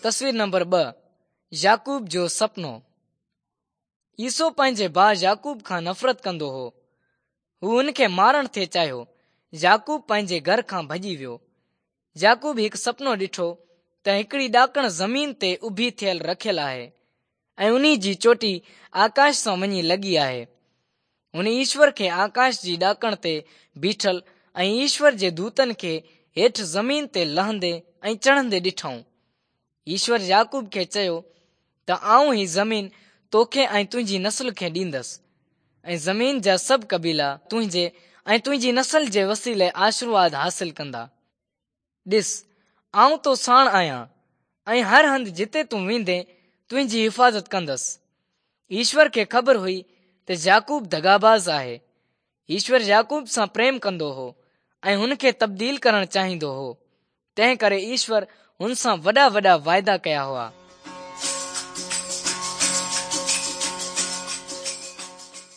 تصوير نمبر 2 يعقوب جو سپنو. عيسو پنهنجي ڀاء يعقوب کان نفرت ڪندو هو. هو هن کي مارڻ ٿي چاهيو. يعقوب پنهنجي گهر کان ڀڄي ويو. يعقوب هڪ سپنو ڏٺو ته هڪڙي ڏاڪڻ زمين تي اڀي ٿيل رکيل آهي ۽ انهي جي چوٽي آڪاش سان وڃي لڳي آهي. هن ايشور کي آڪاش جي ڏاڪڻ تي بيٺل ۽ ايشور جي دوتن کي هيٺ زمين تي لهندي ۽ چڙهندي ڏٺائون. ايشور يعقوب کي چيو ته آئون هي زمين توکي ۽ تنهنجي نسل کي ڏيندس ۽ زمين جا سڀ قبيلا تنهنجي ۽ تنهنجي نسل جي وسيلي آشرواد حاصل ڪندا. ڏس، آئون تو ساڻ آهيان ۽ هر هنڌ جتي تون ويندين تنهنجي حفاظت ڪندس. ايشور کي خبر هئي ته يعقوب دغاباز آهي. ايشور يعقوب سان پريم ڪندو هو ۽ هن کي تبديل ڪرڻ چاهيندو هو. تنهن ڪري ايشور هن سان وڏا وڏا واعدا ڪيا هئا.